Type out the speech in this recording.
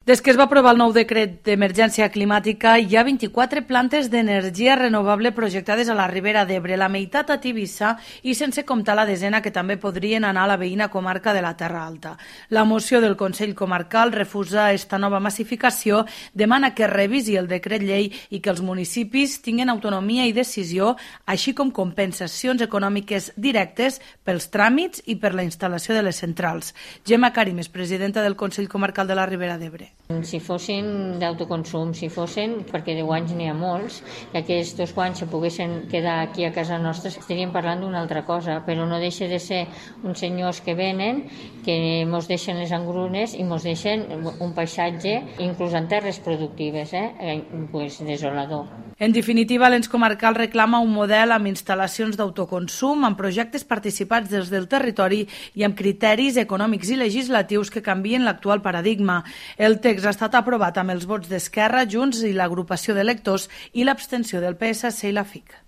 Des que es va aprovar el nou decret d'emergència climàtica, hi ha 24 plantes d'energia renovable projectades a la Ribera d'Ebre, la meitat a Tivissa i sense comptar la desena que també podrien anar a la veïna comarca de la Terra Alta. La moció del Consell Comarcal refusa esta nova massificació, demana que es revisi el decret llei i que els municipis tinguin autonomia i decisió, així com compensacions econòmiques directes pels tràmits i per la instal·lació de les centrals. Gemma Carimes, presidenta del Consell Comarcal de la Ribera d'Ebre. Si fossin d'autoconsum, si fossin, perquè 10 anys n'hi ha molts, que aquests 2 anys se poguessin quedar aquí a casa nostra, estaríem parlant d'una altra cosa, però no deixa de ser uns senyors que venen, que mos deixen les engrunes i mos deixen un paisatge, inclús en terres productives, pues desolador. En definitiva, l'ens comarcal reclama un model amb instal·lacions d'autoconsum, amb projectes participats des del territori i amb criteris econòmics i legislatius que canvien l'actual paradigma. El text ha estat aprovat amb els vots d'Esquerra, Junts i l'agrupació d'electors i l'abstenció del PSC i la FIC.